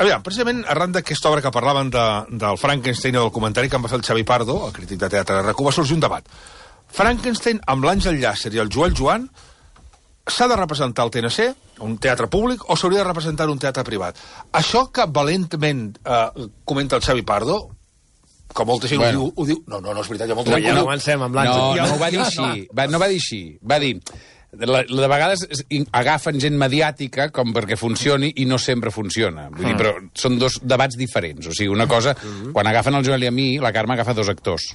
Aviam, precisament arran d'aquesta obra que parlaven del Frankenstein o del comentari que em va fer el Xavi Pardo, el crític de teatre de RAC1, va sorgir un debat. Frankenstein, amb l'Àngel Llàcer i el Joel Joan, s'ha de representar al TNC, un teatre públic, o s'hauria de representar un teatre privat? Això que valentment comenta el Xavi Pardo, que molta gent ho diu... No, és veritat, hi ha molta gent... Ja avancem amb l'Àngel. No ho va dir així. No va dir així. Va dir... De vegades agafen gent mediàtica com perquè funcioni i no sempre funciona. Vull dir, però són dos debats diferents. O sigui, una cosa, quan agafen el Joel i a mi, la Carme agafa dos actors,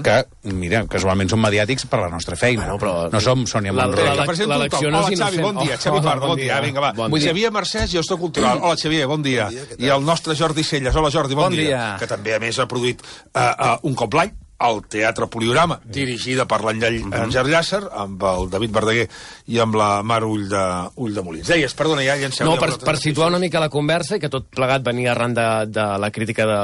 que, mira, casualment són mediàtics per la nostra feina. Bueno, però... No som Sònia Montrell. L'elecció no és Xavi, bon dia. Xavi Pardo, bon dia. Vinga, va. Xavier Mercès, gestor cultural. Hola, Xavier, bon dia. I el nostre Jordi Celles. Hola, Jordi, bon dia. Que també, a més, ha produït un cop l'any al Teatre Poliorama, dirigida per l'Àngel Llàcer, amb el David Verdaguer i amb la Mar Ull de Molins. Deies, perdona, ja llanceu... No, per situar una mica la conversa, i que tot plegat venia arran de la crítica de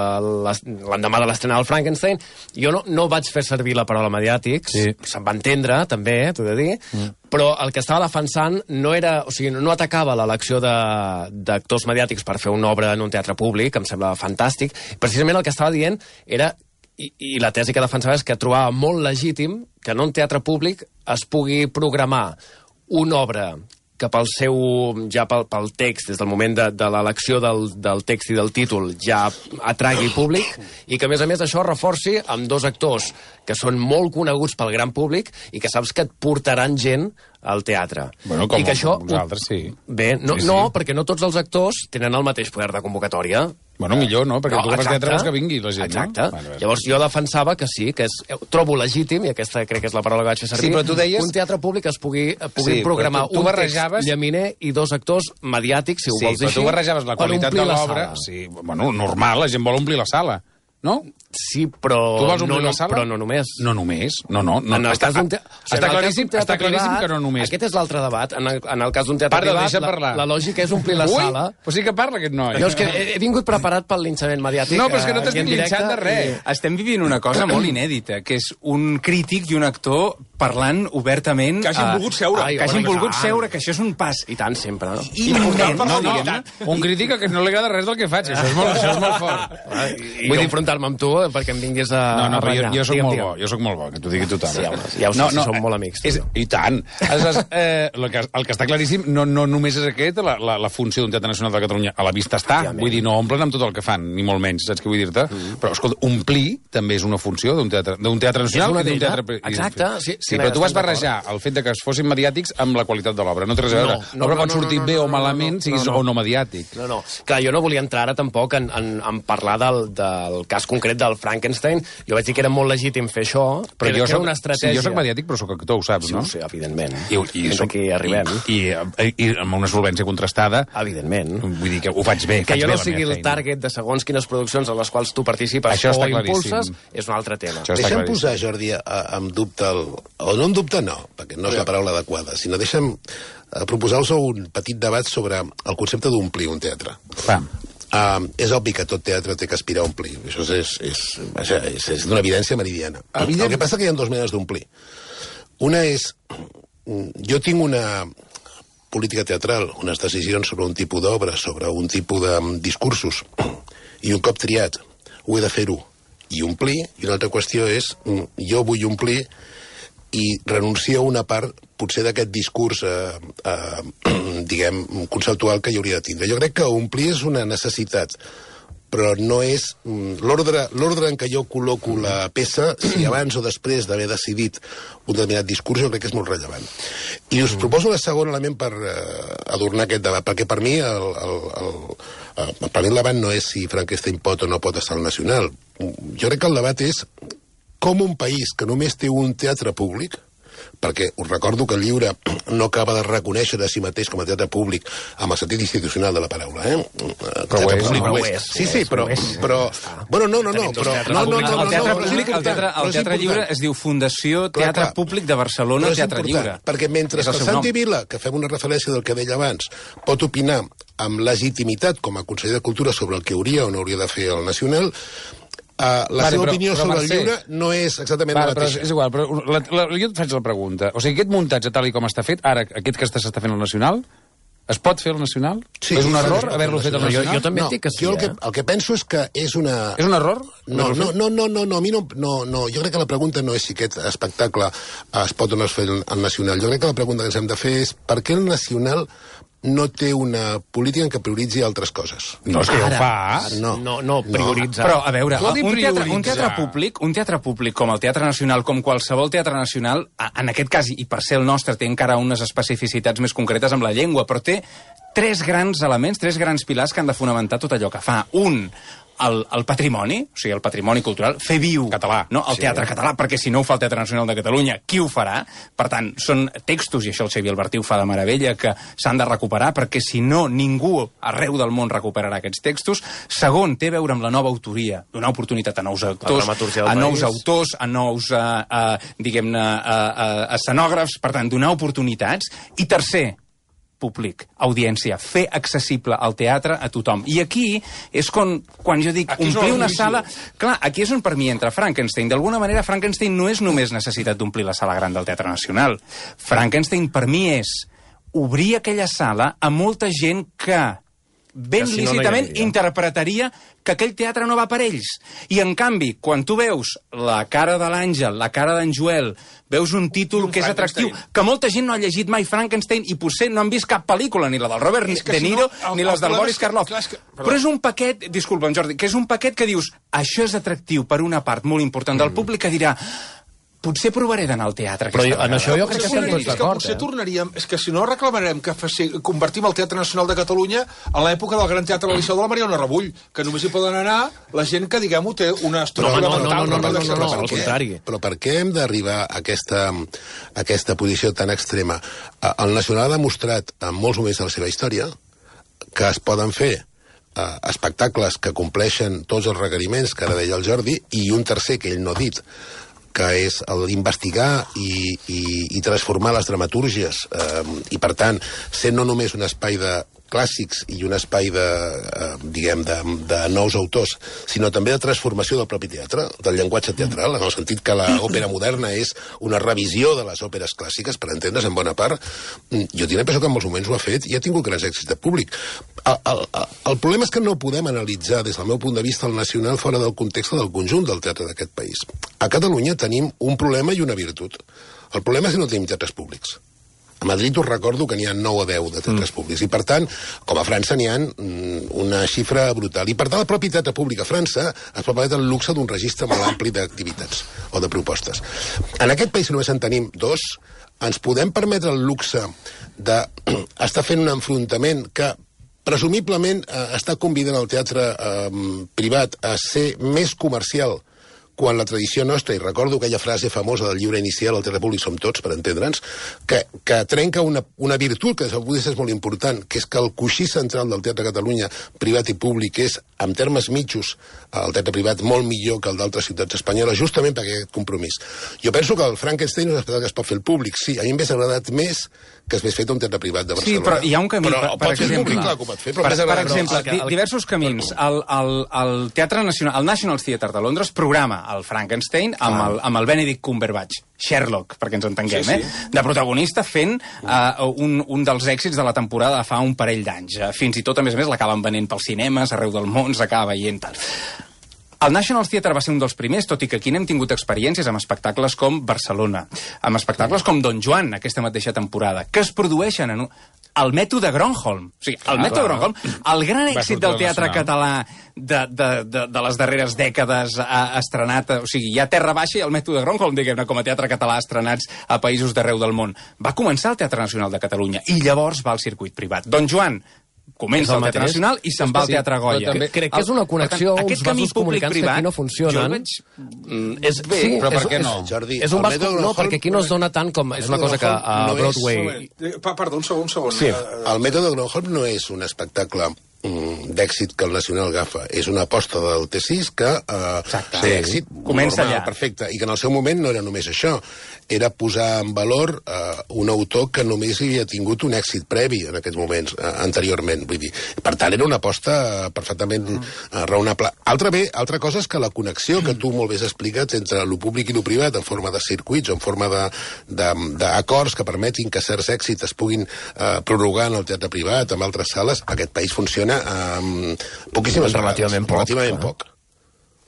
l'endemà de l'estrena del Frankenstein, jo no vaig fer servir la paraula mediàtics, se'n va entendre, també, t'ho he de dir, però el que estava defensant no era... O sigui, no atacava l'elecció d'actors mediàtics per fer una obra en un teatre públic, que em sembla fantàstic. Precisament el que estava dient era... I la tesi que defensava és que trobava molt legítim que en un teatre públic es pugui programar una obra que pel text, des del moment de l'elecció del text i del títol, ja atragui públic, i que, a més, això reforci amb dos actors que són molt coneguts pel gran públic i que saps que et portaran gent al teatre. Bueno, com i que això, vosaltres, sí. Bé, no, perquè no tots els actors tenen el mateix poder de convocatòria. Bueno, millor, no? Perquè tu que fas teatre vols que vingui la gent, exacte. No? Exacte. Llavors jo defensava que sí, que trobo legítim, i aquesta crec que és la paraula que vaig fer servir, però tu deies... un teatre públic es pugui programar un text llaminer i dos actors mediàtics, si ho vols dir així, però tu barrejaves la qualitat de l'obra... Sí, bueno, normal, la gent vol omplir la sala. No? Sí, però... Tu vols omplir la sala? Però no només. No només. No. Està claríssim que no només. Aquest és l'altre debat. En el cas d'un teatre privat, la lògica és omplir la sala. Però sí que parla aquest noi. Jo és que he vingut preparat pel linxament mediàtic. No, però és que no t'estic linxant de res. Estem vivint una cosa molt inèdita, que és un crític i un actor parlant obertament... Que hagin volgut seure. Que hagin volgut seure, que això és un pas... I tant, sempre. Un crític que no li agrada res del que faig. Això és molt fort. Vull enfrontar-me amb tu perquè em vinguis a renyar. Jo soc molt bo, que t'ho digui tothom. Sí, ja ho sé, som molt amics. I tant. El que està claríssim no només és aquest, la funció d'un Teatre Nacional de Catalunya a la vista està. Vull dir, no omplen amb tot el que fan, ni molt menys, saps què vull dir-te? Però, escolta, omplir també és una funció d'un teatre nacional i d'un teatre... Exacte. Sí, però tu vas barrejar el fet que es fossin mediàtics amb la qualitat de l'obra. No té res a veure. L'obra pot sortir bé o malament, siguis o no mediàtic. No. Clar, jo no volia entrar ara tampoc en parlar del cas concret del Frankenstein. Jo vaig dir que era molt legítim fer això, però jo soc una estratègia... Sí, jo soc mediàtic, però soc actor, ho saps, no? Sí, evidentment. I aquí arribem. I amb una solvència contrastada... Evidentment. Vull dir que ho faig bé, que jo no sigui el target de segons quines produccions en les quals tu participes o impulses, és un altre tema. Deixa'm posar, Jordi, en dubte o no en dubte, no, perquè no és la paraula adequada, sinó deixa'm proposar-vos un petit debat sobre el concepte d'omplir un teatre. És obvi que tot teatre té que aspirar a omplir. Això és d'una evidència meridiana. El que passa que hi ha dues maneres d'omplir. Una és... Jo tinc una política teatral, unes decisions sobre un tipus d'obra, sobre un tipus de discursos, i un cop triat ho he de fer-ho i omplir, i una altra qüestió és jo vull omplir i renuncio a una part potser d'aquest discurs diguem, conceptual que hi hauria de tindre. Jo crec que omplir és una necessitat, però no és l'ordre en què jo col·loco la peça, si abans o després d'haver decidit un determinat discurs, jo crec que és molt rellevant. I us proposo el segon element per adornar aquest debat, perquè per mi el debat no és si Frankenstein pot o no pot estar al Nacional. Jo crec que el debat és com un país que només té un teatre públic, perquè us recordo que el llibre no acaba de reconèixer a si mateix com a teatre públic amb el sentit institucional de la paraula, Però ho és. Sí, però... Bueno, no. El teatre lliure es diu Fundació Teatre Públic de Barcelona Teatre Lliure. Perquè mentre que Santi Vila, que fem una referència del que deia abans, pot opinar amb legitimitat com a conseller de Cultura sobre el que hauria o no hauria de fer el Nacional, la seva opinió sobre el llibre no és exactament la mateixa. És igual, però jo et faig la pregunta. O sigui, aquest muntatge tal com està fet, ara, aquest que s'està fent al Nacional, Es pot fer el Nacional? Sí, és un sí, error sí, haver-lo fet al Nacional? Jo també dic que sí, jo el que penso és que és una... És un error? No, a mi no. Jo crec que la pregunta no és si aquest espectacle es pot o no es fer al Nacional. Jo crec que la pregunta que ens hem de fer és per què el Nacional no té una política en què prioritzi altres coses. No, és que ja ho fa. No, prioritzar. Però, a veure, Vol dir un teatre públic com el Teatre Nacional, com qualsevol teatre nacional, en aquest cas, i per ser el nostre, té encara unes especificitats més concretes amb la llengua, però té tres grans elements, tres grans pilars que han de fonamentar tot allò que fa. Un, el patrimoni, o sigui, el patrimoni cultural, fer viu català, no? El teatre català, perquè si no ho fa el Teatre Nacional de Catalunya, qui ho farà? Per tant, són textos, i això el Xavier Albertí ho fa de meravella, que s'han de recuperar, perquè si no, ningú arreu del món recuperarà aquests textos. Segon, té a veure amb la nova autoria, donar oportunitat a nous actors, a nous autors, a nous, diguem-ne, escenògrafs, per tant, donar oportunitats. I tercer, públic, audiència, fer accessible el teatre a tothom. I aquí és quan jo dic omplir una sala... Clar, aquí és on per mi entra Frankenstein. D'alguna manera, Frankenstein no és només necessitat d'omplir la sala gran del Teatre Nacional. Frankenstein per mi és obrir aquella sala a molta gent que ben si no, lícitament interpretaria que aquell teatre no va per ells. I, en canvi, quan tu veus la cara de l'Àngel, la cara d'en Joel, veus un títol que és atractiu, que molta gent no ha llegit mai Frankenstein i potser no han vist cap pel·lícula, ni la del Robert De Niro, ni les del Boris Karloff. Però és un paquet, disculpa'm, Jordi, que és un paquet que dius, això és atractiu per una part molt important del públic que dirà potser provaré d'anar al teatre. Però en això jo crec que estem tots d'acord. Potser tornaríem... És que si no reclamarem que convertim el Teatre Nacional de Catalunya a l'època del Gran Teatre del Liceu de la Mariona Rebull, que només hi poden anar la gent que, diguem-ho, té una estructura mental. No, al contrari. Però per què hem d'arribar a aquesta posició tan extrema? El Nacional ha demostrat en molts moments de la seva història que es poden fer espectacles que compleixen tots els requeriments que ara deia el Jordi, i un tercer que ell no ha dit, que és l'investigar i transformar les dramatúrgies i, per tant, ser no només un espai de clàssics i un espai de nous autors, sinó també de transformació del propi teatre, del llenguatge teatral, en el sentit que l'òpera moderna és una revisió de les òperes clàssiques, per entendre's en bona part. Jo tinc la impressió que en molts moments ho ha fet i ha tingut grans èxits de públic. El problema és que no podem analitzar, des del meu punt de vista, el Nacional fora del context del conjunt del teatre d'aquest país. A Catalunya tenim un problema i una virtut. El problema és que no tenim teatres públics. A Madrid us recordo que n'hi ha 9 o 10 de teatres públics, i per tant, com a França n'hi ha una xifra brutal. I per tant, el propi teatre públic a França es pot permetre el luxe d'un registre molt ampli d'activitats o de propostes. En aquest país només en tenim 2, ens podem permetre el luxe d'estar fent un enfrontament que presumiblement està convidant el teatre privat a ser més comercial quan la tradició nostra, i recordo aquella frase famosa del llibre inicial, el teatre públic som tots, per entendre'ns, que trenca una virtut que des del punt de vista és molt important, que és que el coixí central del Teatre Catalunya, privat i públic, és, en termes mitjos, el teatre privat molt millor que el d'altres ciutats espanyoles, justament per aquest compromís. Jo penso que el Frankenstein és un espectacle que es pot fer el públic, sí, a mi m'hagués agradat més que es fet un teatre privat de Barcelona. Sí, però hi ha un camí, per exemple. Per exemple, diversos camins. El Teatre Nacional, el National Theatre de Londres programa el Frankenstein amb el Benedict Cumberbatch, Sherlock, perquè ens entenguem, de protagonista, fent un dels èxits de la temporada de fa un parell d'anys. Fins i tot, a més, l'acaben venent pels cinemes, arreu del món, s'acaba veient tal. El National Theatre va ser un dels primers, tot i que aquí n'hem tingut experiències amb espectacles com Barcelona, amb espectacles com Don Juan, aquesta mateixa temporada, que es produeixen en el mètode Gronholm. O sigui, el mètode Gronholm, el gran èxit del teatre català de les darreres dècades estrenat, o sigui, hi ha Terra Baixa i el mètode Gronholm, diguem-ne, com a teatre català estrenats a països d'arreu del món. Va començar el Teatre Nacional de Catalunya i llavors va al circuit privat. Don Juan comença al Teatre Nacional i se'n va al Teatre Goya. Crec que és una connexió, uns vasos comunicants que aquí no funcionen. Sí, però per què no? Jordi, és un vas no, perquè aquí no es dona tant com... És una cosa que a Broadway... Perdó, un segon. Sí. El mètode Gronholm no és un espectacle d'èxit que el Nacional agafa és una aposta del T6 que té èxit Comença normal, allà. perfecte, i que en el seu moment no era només això, era posar en valor un autor que només havia tingut un èxit previ en aquests moments, anteriorment, vull dir, per tant era una aposta perfectament raonable. Altra cosa és que la connexió que tu molt bé has explicat entre lo públic i lo privat en forma de circuits o en forma d'acords que permetin que certs èxits es puguin prorrogar en el teatre privat, en altres sales, aquest país funciona poquíssimes Relativament poc.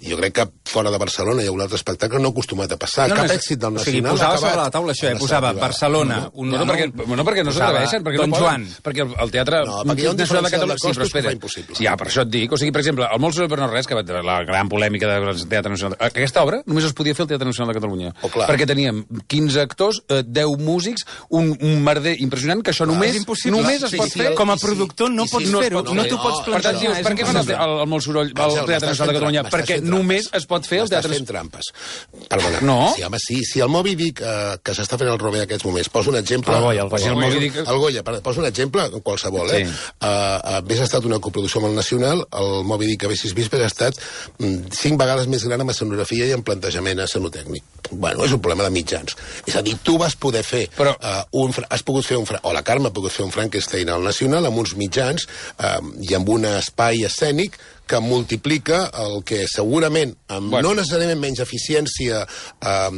Jo crec que fora de Barcelona hi ha un altre espectacle no acostumat a passar. Cap èxit del Nacional posava sobre la taula això, posava Barcelona... perquè no s'atreveixen, perquè Don no Joan. poden, perquè el teatre... No, perquè hi ha un Nacional diferencial de Catalunya... Sí, però costos que espera. fa impossible. Sí, per això et dic. O sigui, per exemple, el Molt Soroll per no res, que va la gran polèmica del Teatre Nacional... Aquesta obra només es podia fer al Teatre Nacional de Catalunya. Perquè teníem 15 actors, 10 músics, un merder impressionant, que això només es pot fer... Com a productor no pots fer-ho, no t'ho pots Per tant, plantejar. dius, per què fan el Molt Soroll al Teatre Nacional de Catalunya? Perquè només es pot fer el M'estàs Teatre... fent trampes. Perdona. No? Sí, home, sí. Si el Moby Dick, que s'està fent el Robé en aquests moments, posa un exemple... El Goya, posa un exemple, qualsevol, Sí. Hauria estat una coproducció amb el Nacional, el Moby Dick haguessis vist, hauria estat 5 vegades més gran en escenografia i en plantejament escenotècnic. Bueno, és un problema de mitjans. És a dir, tu vas poder fer... has pogut fer o la Carme ha pogut fer un Frankenstein al Nacional amb uns mitjans i amb un espai escènic que multiplica el que segurament, amb no necessàriament menys eficiència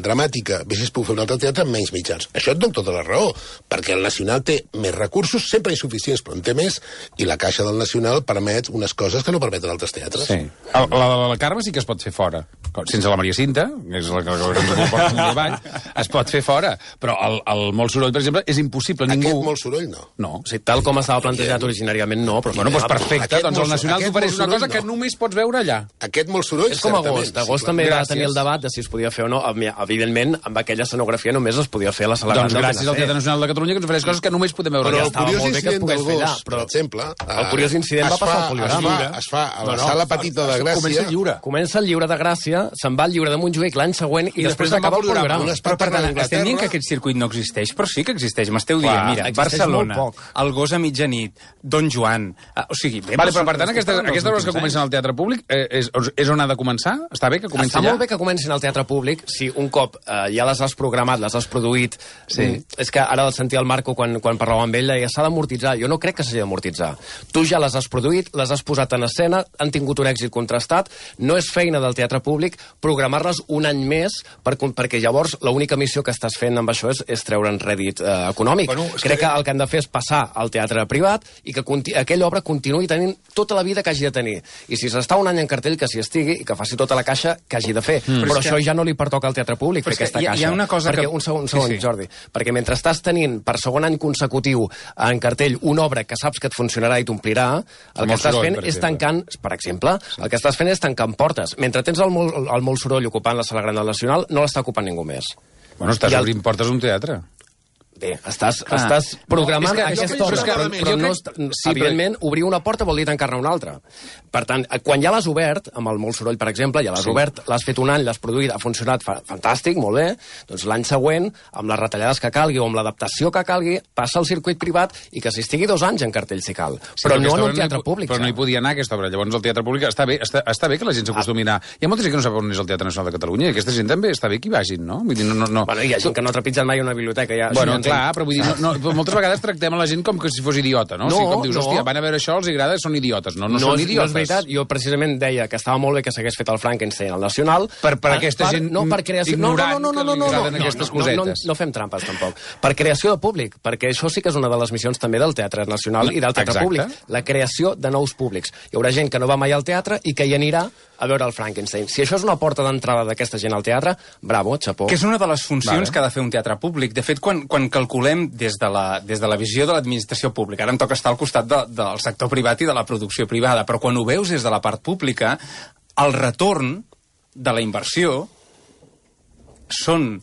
dramàtica, haguessis pogut fer un altre teatre amb menys mitjans. Això et dono tota la raó, perquè el Nacional té més recursos, sempre insuficients, però en té més, i la caixa del Nacional permet unes coses que no permeten altres teatres. Sí. La Carme sí que es pot fer fora. Sense la Maria Cinta, que és la que ens porta un treball, es pot fer fora. Però el Molt Soroll, per exemple, és impossible. Aquest Molt Soroll, no. No. O sigui, tal com estava plantejat originàriament, no. Però Bueno, doncs perfecte. Doncs el Nacional t'ofereix una cosa que només pots veure allà. Aquest Molt Soroll, és com Agost. Agost també va Gràcies. tenir el debat de si es podia fer o no. Evidentment, amb aquella escenografia només es podia fer la sala gran Doncs del gràcies al Teatre Nacional de Catalunya que ens ofereix coses que només podem veure Però allà. el curiós molt bé que es incident pogués fer allà, d'Agost, per exemple... El curiós incident va passar al Poliorama. Es fa a la sala petita de Gràcia... Comença el Lliure de Gràcia, se'n va al Lliure de Montjuïc l'any següent i després acaba el Poliorama. Però, per tant, estem dient que aquest circuit no existeix, però sí que existeix. M'esteu dient, mira, Barcelona, el Gos a mitjanit, Don Joan... O sigui, Vale, però per tant, aquestes obres que comencen al teatre públic és on ha de començar? Està bé que comenci allà? Està molt bé que comencin al teatre públic si un cop ja les has programat, les has produït... És que ara sentia el Marco quan parlava amb ell, deia, s'ha d'amortitzar. Jo no crec que s'hagi d'amortitzar. Tu ja les has produït, les has posat en escena, han tingut un èxit contrastat, no és feina del teatre públic programar-les un any més perquè llavors l'única missió que estàs fent amb això és treure'n rèdit econòmic. Crec que el que han de fer és passar al teatre privat i que aquella obra continuï tenint tota la vida que hagi de tenir. I si s'està un any en cartell, que s'hi estigui i que faci tota la caixa que hagi de fer. Però això ja no li pertoca al teatre públic, fer aquesta caixa. Hi ha una cosa perquè, un segon, Jordi. Perquè mentre estàs tenint per segon any consecutiu en cartell una obra que saps que et funcionarà i t'omplirà, el que estàs fent és tancant, per exemple, el que estàs fent és tancant portes. Mentre tens el Molt Soroll ocupant la sala gran del Nacional, no l'està ocupant ningú més. Bueno, estàs obrint portes d'un teatre. Bé, estàs programant aquesta obra, però no, evidentment, obrir una porta vol dir tancar-ne una altra. Per tant, quan ja l'has obert, amb el Molt Soroll, per exemple, ja l'has obert, l'has fet un any, l'has produït, ha funcionat fantàstic, molt bé, doncs l'any següent, amb les retallades que calgui o amb l'adaptació que calgui, passa al circuit privat i que s'hi estigui 2 anys en cartell, si cal. Però no en un teatre públic. Però no hi podia anar, aquesta obra. Llavors, el teatre públic està bé que la gent s'acostumi a anar. Hi ha molta gent que no sap on és el Teatre Nacional de Catalunya i aquesta gent també està bé que hi vagin, no? Vull dir, no. Bueno, hi ha gent que no ha trepitjat mai una biblioteca. Ja, bueno, clar, però vull dir, moltes vegades tractem a la gent com que si fos idiota, no? O sigui, com dius, hòstia, van a veure això, els agrada, són idiotes. No són idiotes. No és veritat. Jo precisament deia que estava molt bé que s'hagués fet el Frankenstein al Nacional. Per aquesta gent ignorant que li agraden aquestes cosetes. No fem trampes, tampoc. Per creació de públic, perquè això sí que és una de les missions també del Teatre Nacional i del Teatre Públic. La creació de nous públics. Hi haurà gent que no va mai al teatre i que hi anirà a veure el Frankenstein. Si això és una porta d'entrada d'aquesta gent al teatre, bravo, xapó. Que és una de les funcions que ha de fer un teatre públic. De fet, quan calculem des de la visió de l'administració pública, ara em toca estar al costat del sector privat i de la producció privada, però quan ho veus des de la part pública, el retorn de la inversió són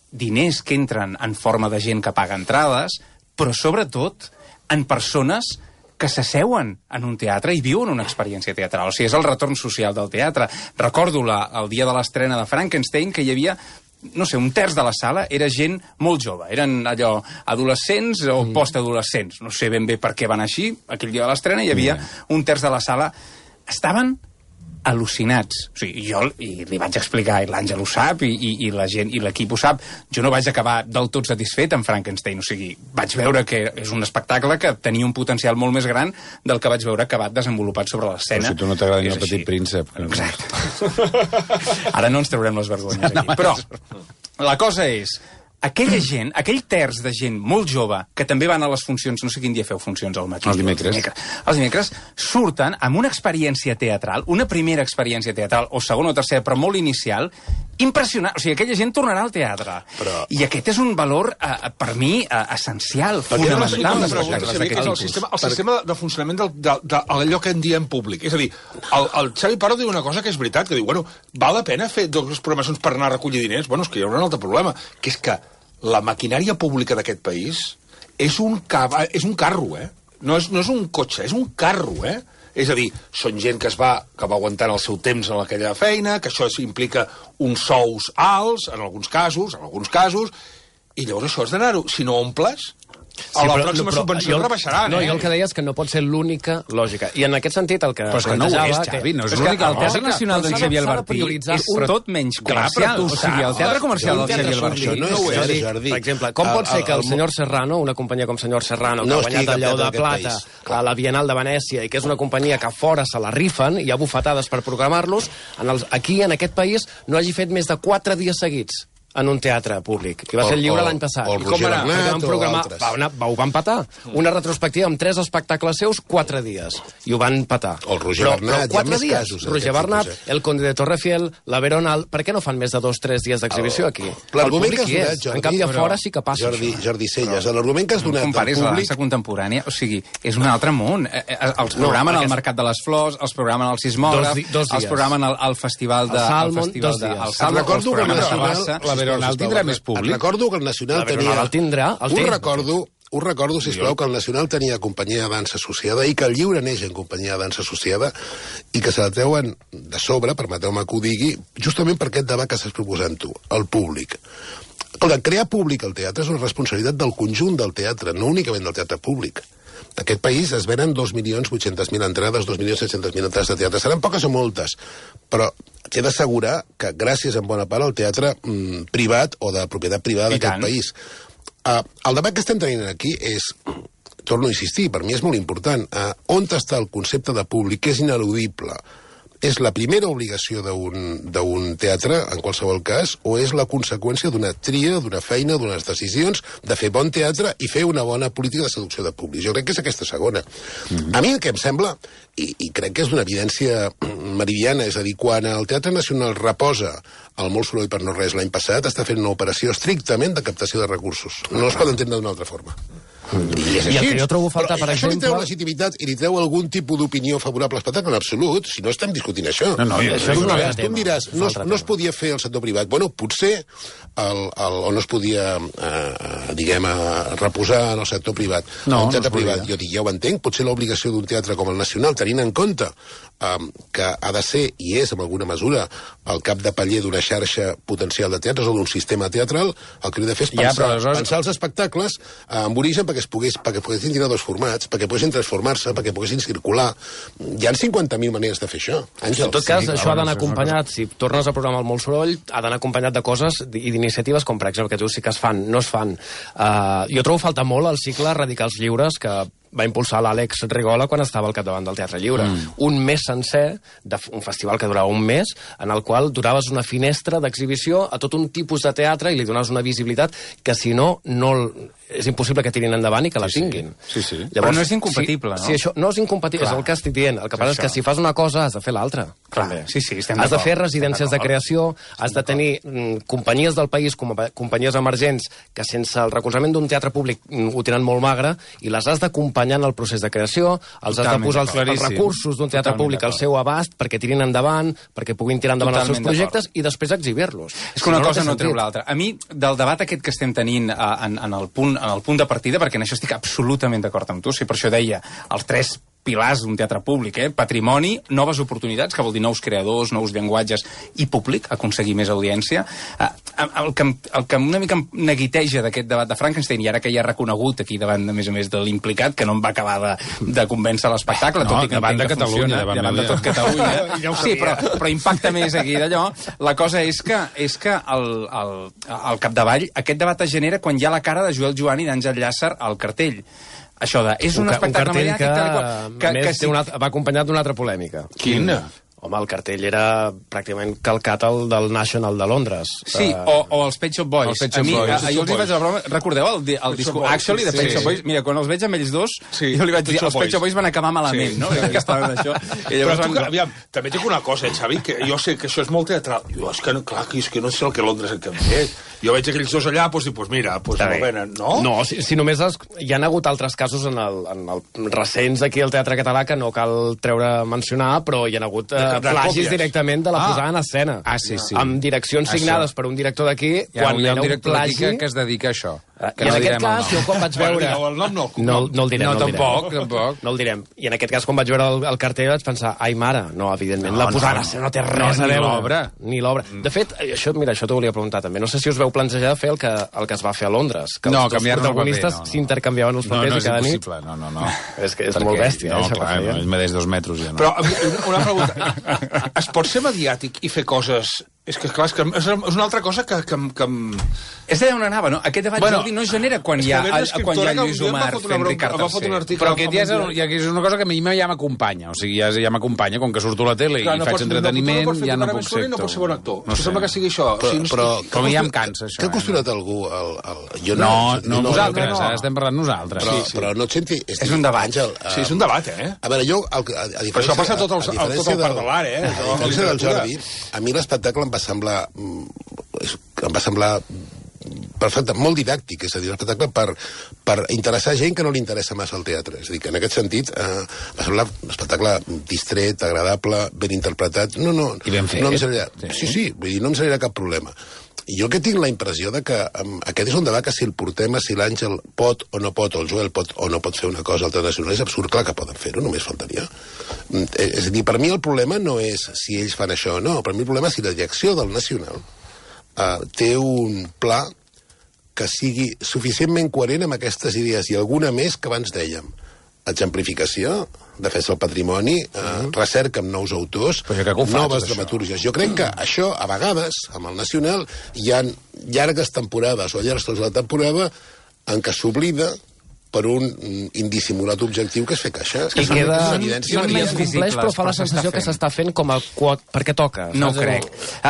diners que entren en forma de gent que paga entrades, però sobretot en persones que s'asseuen en un teatre i viuen una experiència teatral. O sigui, és el retorn social del teatre. Recordo el dia de l'estrena de Frankenstein que hi havia no sé, un terç de la sala era gent molt jove. Eren allò adolescents o postadolescents. No sé ben bé per què van així. Aquell dia de l'estrena hi havia un terç de la sala. Estaven al·lucinats. O sigui, jo li vaig explicar, i l'Àngel ho sap, i la gent, i l'equip ho sap, jo no vaig acabar del tot satisfet amb Frankenstein. O sigui, vaig veure que és un espectacle que tenia un potencial molt més gran del que vaig veure acabat desenvolupat sobre l'escena. Però si tu no t'agrada ni el Petit Príncep. Exacte. Ara no ens traurem les vergonyes aquí. Però la cosa és, aquella gent, aquell terç de gent molt jove, que també van a les funcions, no sé quin dia feu funcions al matí. Els dimecres. Els dimecres surten amb una experiència teatral, una primera experiència teatral, o segona o tercera, però molt inicial, impressionant. O sigui, aquella gent tornarà al teatre. I aquest és un valor, per mi, essencial, fonamental. El sistema de funcionament d'allò que en diem públic. És a dir, el Xavi Pardo diu una cosa que és veritat, que diu, bueno, val la pena fer dues programacions per anar a recollir diners? Bueno, és que hi haurà un altre problema, que és que la maquinària pública d'aquest país és un carro, eh? No és un cotxe, és un carro, eh? És a dir, són gent que va aguantant el seu temps en aquella feina, que això implica uns sous alts, en alguns casos, i llavors això has d'anar-ho. Si no omples, a la pròxima subvenció rebaixaran. No, jo el que deia és que no pot ser l'única lògica. I en aquest sentit el que però és que no ho és, Xavi, no és l'única lògica. El Teatre Nacional d'en Xavier Albertí és tot menys comercial. O sigui, el Teatre Comercial d'en Xavier Albertí no ho és, Jordi. Per exemple, com pot ser que el senyor Serrano, una companyia com senyor Serrano, que ha guanyat el Lleó de Plata a la Bienal de Venècia i que és una companyia que a fora se la rifen i hi ha bufetades per programar-los, aquí, en aquest país, no hagi fet més de 4 dies seguits en un teatre públic, que va ser Lliure l'any passat. O el Roger Bernat o altres. Ho van patar. Una retrospectiva amb 3 espectacles seus, 4 dies. I ho van patar. O el Roger Bernat, hi ha més casos. Roger Bernat, el Conde de Torrefiel, la Veronal... Per què no fan més de 2-3 dies d'exhibició aquí? L'argument que has donat, Jordi... En canvi, a fora sí que passa. Jordi Celles, l'argument que has donat del comparis la públic... dansa contemporània, o sigui, és un altre món. Els programen al Mercat de les Flors, els programen al Sismògraf, els programen al Festival de... Al Salmon, 2 dies. Recordo que la Veronal tindrà més públic. Recordo que el Nacional tenia... El tindrà, Us recordo, sisplau, que el Nacional tenia companyia de dansa associada i que el Lliure neix en companyia de dansa associada i que se la treuen de sobre, permeteu-me que ho digui, justament per aquest debat que estàs proposant tu, el públic. Escolta, crear públic al teatre és una responsabilitat del conjunt del teatre, no únicament del teatre públic. En aquest país es venen 2.800.000 entrades, 2.700.000 entrades de teatre. Seran poques o moltes, però t'he d'assegurar que gràcies en bona part al teatre privat o de propietat privada d'aquest país. El debat que estem tenint aquí és, torno a insistir, per mi és molt important, on està el concepte de públic, que és ineludible. És la primera obligació d'un teatre, en qualsevol cas, o és la conseqüència d'una tria, d'una feina, d'unes decisions, de fer bon teatre i fer una bona política de seducció de públic. Jo crec que és aquesta segona. A mi el que em sembla, i crec que és d'una evidència meridiana, és a dir, quan el Teatre Nacional reposa el Molt Soroll per no res l'any passat, està fent una operació estrictament de captació de recursos. No es pot entendre d'una altra forma. I és així. I el que jo trobo faltar, per això exemple... li treu legitimitat i li treu algun tipus d'opinió favorable a l'espectacle, en absolut. Si no estem discutint això. Això és un altre tema. Tu em diràs, no es podia fer el sector privat. Bueno, potser o no es podia, reposar en el sector privat. No, el teatre privat, jo dic, ja ho entenc, potser l'obligació d'un teatre com el Nacional, tenint en compte que ha de ser, i és, en alguna mesura, el cap de paller d'una xarxa potencial de teatres o d'un sistema teatral, el que hauria de fer és pensar els espectacles amb origen perquè poguessin tenir 2 formats, perquè poguessin transformar-se, perquè poguessin circular. Hi ha 50.000 maneres de fer això. Àngel, en tot cas, això ha d'anar acompanyat, si tornes a programar el Molt Soroll, ha d'anar acompanyat de coses i d'iniciatives com, per exemple, que tu sí que es fan, no es fan. Jo trobo falta molt el cicle Radicals Lliures, que va impulsar l'Àlex Rigola quan estava al capdavant del Teatre Lliure. Un mes sencer, un festival que durava un mes, en el qual donaves una finestra d'exhibició a tot un tipus de teatre i li donaves una visibilitat que, si no, és impossible que tirin endavant i que la tinguin. Sí. Llavors, però no és incompatible, no? Sí, això no és incompatible, és el que estic dient. El que passa és que si fas una cosa has de fer l'altra. Sí, estem has de fer residències de creació, has de tenir companyies del país, companyies emergents, que sense el recolzament d'un teatre públic ho tenen molt magre, i les has d'acompanyar en el procés de creació, els has de posar els recursos d'un teatre públic al seu abast perquè tirin endavant, perquè puguin tirar endavant els seus projectes i després exhibir-los. És que una cosa no treu l'altra. A mi, del debat aquest que estem tenint en el punt de partida, perquè en això estic absolutament d'acord amb tu, si per això deia els 3 pilars d'un teatre públic, patrimoni, noves oportunitats, que vol dir nous creadors, nous llenguatges i públic, aconseguir més audiència. El que una mica em neguiteja d'aquest debat de Frankenstein, i ara que ja ha reconegut aquí davant, a més de l'implicat, que no em va acabar de convèncer l'espectacle, tot i que davant de Catalunya, davant de tot Catalunya. Sí, però impacta més aquí d'allò. La cosa és que al capdavall aquest debat es genera quan hi ha la cara de Joel Joan i d'Àngel Llàcer al cartell. Això és un espectacle mediàtic que va acompanyat d'una altra polèmica. Quina? Home, el cartell era pràcticament calcat al del National de Londres. Sí, o els Pet Shop Boys. Jo els vaig a la broma... Recordeu el discurs Actually de Pet Shop Boys? Mira, quan els veig amb ells dos, jo li vaig dir, els Pet Shop Boys van acabar malament, no? Però tu, aviam, també dic una cosa, Xavi, que jo sé que això és molt teatral. Jo, és que no sé el que Londres en canviat. Jo veig aquells dos allà, doncs mira, no venen, no? No, si només hi ha hagut altres casos en el recents aquí al Teatre Català que no cal mencionar, però hi ha hagut plagis directament de la posada en escena. Sí. Amb direccions signades per un director d'aquí, quan hi ha un director plagi que es dedica a això. I en aquest cas, jo quan vaig veure... No el direm. No, tampoc. No el direm. I en aquest cas, quan vaig veure el cartell, vaig pensar, ai, mare, no, evidentment, la posada en escena no té res a veure. Ni l'obra. De fet, això t'ho volia preguntar també. No sé si us veu plantejar fer el que es va fer a Londres. Que els dos protagonistes s'intercanviaven els papers i cada nit. No. És que és molt bèstia. No, clar, és més 2 metres ja no. Però una pregunta. Es pot ser mediàtic i fer coses... És que, clar, és una altra cosa que... És d'allà on anava, no? Aquest debat, Jordi, no es genera quan hi ha Lluís Omar fent Ricard III. Però aquest ja és una cosa que a mi ja m'acompanya. O sigui, ja m'acompanya, com que surto a la tele i faig entreteniment, ja no puc ser actor. No pot ser bon actor. Sembla que sigui això. Però ja em cansa, això. Què ha costurat algú? No, nosaltres, ara estem parlant nosaltres. Però no et senti... És un debat. Sí, és un debat, A veure, jo... Però això passa a tot el part de l'art, A diferència del Jordi, a mi l'espectacle em va semblar perfecte, molt didàctic, és a dir, un espectacle per interessar gent que no li interessa massa el teatre. És a dir, que en aquest sentit va semblar un espectacle distret, agradable, ben interpretat. No ben fet. No em seria... Sí, vull dir, no em seria cap problema. I jo que tinc la impressió de que aquest és un debat que si el portem si l'Àngel pot o no pot, o el Joel pot o no pot fer una cosa alternativa, és absurd, clar que poden fer-ho, només faltaria. És a dir, per mi el problema no és si ells fan això o no, per mi el problema és si la direcció del Nacional té un pla que sigui suficientment coherent amb aquestes idees i alguna més que abans dèiem. Exemplificació, defensa del patrimoni, recerca amb nous autors, noves dramatúrgies. Jo crec que això, a vegades, amb el Nacional, hi ha llargues temporades o llargs de la temporada en què s'oblida per un indissimulat objectiu que és fer caixa. I queda... No més compleix, però fa la sensació que s'està fent com el quot perquè toca. No ho crec.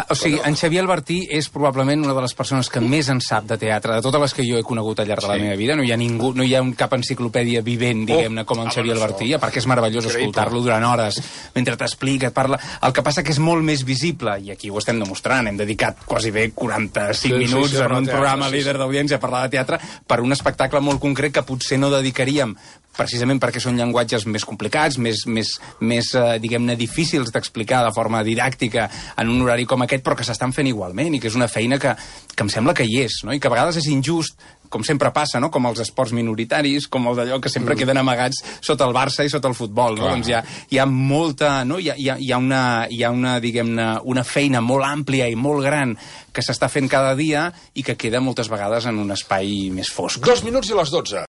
O sigui, en Xavier Albertí és probablement una de les persones que més en sap de teatre, de totes les que jo he conegut al llarg de la meva vida. No hi ha ningú, no hi ha cap enciclopèdia vivent, diguem-ne, com en Xavier Albertí, perquè és meravellós escoltar-lo durant hores, mentre t'explica, et parla... El que passa que és molt més visible, i aquí ho estem demostrant, hem dedicat quasi bé 45 minuts en un programa líder d'audiència a parlar de teatre per un espectacle molt concret que potser no dedicaríem precisament perquè són llenguatges més complicats, més diguem-ne, difícils d'explicar de forma didàctica en un horari com aquest, però que s'estan fent igualment, i que és una feina que em sembla que hi és, no? I que a vegades és injust, com sempre passa, no? Com els esports minoritaris, com el d'allò que sempre queden amagats sota el Barça i sota el futbol, no? Doncs hi ha molta, no? Hi ha una, diguem-ne, una feina molt àmplia i molt gran que s'està fent cada dia i que queda moltes vegades en un espai més fosc. 2 minuts i les 12.